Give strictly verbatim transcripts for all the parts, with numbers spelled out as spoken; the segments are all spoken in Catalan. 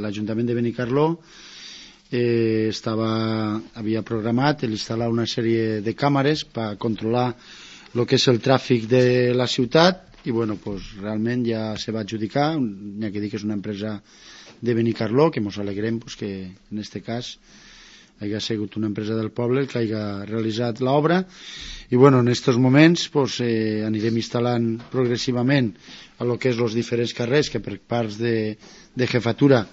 l'Ajuntament de Benicarló eh, estava, havia programat instal·lar una sèrie de càmeres per controlar el que és el tràfic de la ciutat i bueno, pues, realment ja se va adjudicar, n'hi ha que dir que és una empresa de Benicarló, que ens alegrem pues, que en aquest cas hagi sigut una empresa del poble el que hagi realitzat l'obra i bueno, en aquests moments pues, eh, anirem instal·lant progressivament a lo que és els diferents carrers que per parts de, de jefatura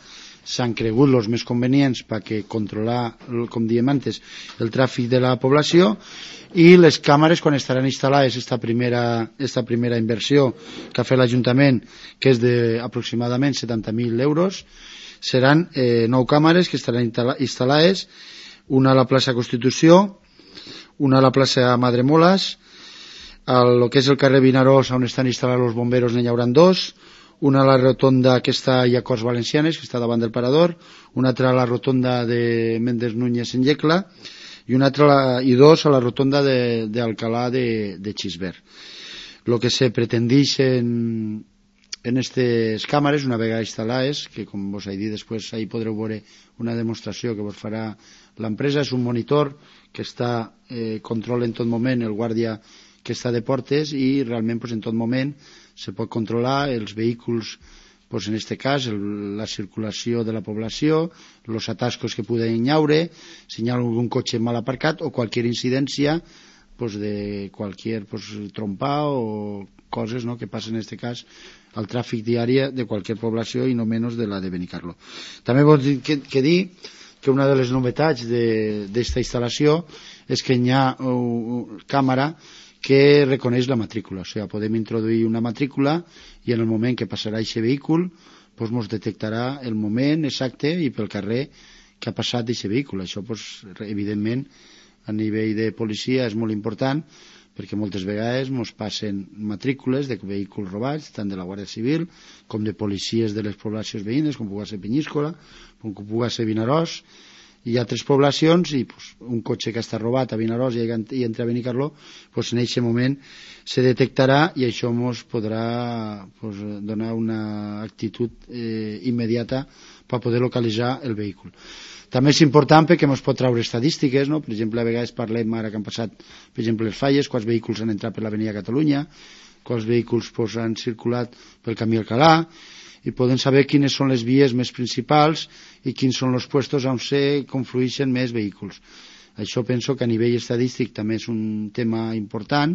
s'han cregut els més convenients perquè controlar, com diem antes, el tràfic de la població i les càmeres quan estaran instal·lades esta primera, esta primera inversió que ha fet l'Ajuntament, que és d'aproximadament setanta mil euros, seran eh, nou càmeres que estaran instal·lades, una a la plaça Constitució, una a la plaça Madremoles, a lo que és el carrer Vinaròs on estan instal·lats els bomberos n'hi haurà dos, una a la rotonda que està a Corts Valencianes, que està davant del parador, una altra a la rotonda de Méndez Núñez en Yecla i, una altra, i dos a la rotonda d'Alcalà de, de, de Xisbert. El que se pretendeix en, en aquestes càmeres, una vegada instal·lades, que com vos he dit després ahí podreu veure una demostració que vos farà l'empresa, és un monitor que està eh, controla en tot moment el guàrdia que està de portes i realment pues, en tot moment se pot controlar els vehicles, pues, en aquest cas el, la circulació de la població, els atascos que poden haure, si hi ha algun cotxe mal aparcat o qualsevol incidència pues, de qualsevol pues, trompa o coses no, que passen en aquest cas al tràfic diari de qualsevol població i no menys de la de Benicarló. També vols dir que, que dir que una de les novetats d'esta instal·lació és que hi ha una càmera que reconeix la matrícula, o sigui, podem introduir una matrícula i en el moment que passarà aquest vehicle doncs ens detectarà el moment exacte i pel carrer que ha passat aquest vehicle. Això, doncs, evidentment, a nivell de policia és molt important perquè moltes vegades ens passen matrícules de vehicles robats, tant de la Guàrdia Civil com de policies de les poblacions veïnes, com pugui ser Penyíscola, com pugui ser Vinaròs, i altres poblacions, i pues, un cotxe que està robat a Vinaròs i, i entra a Benicarló, pues, en aquest moment se detectarà i això ens podrà pues, donar una actitud eh, immediata per poder localitzar el vehicle. També és important perquè ens pot treure estadístiques, no? Per exemple, a vegades parlem ara que han passat, per exemple, les falles, quants vehicles han entrat per l'Avenida Catalunya, quants vehicles pues, han circulat pel camí Alcalà, i podem saber quines són les vies més principals i quins són els puestos on se conflueixen més vehicles. Això penso que a nivell estadístic també és un tema important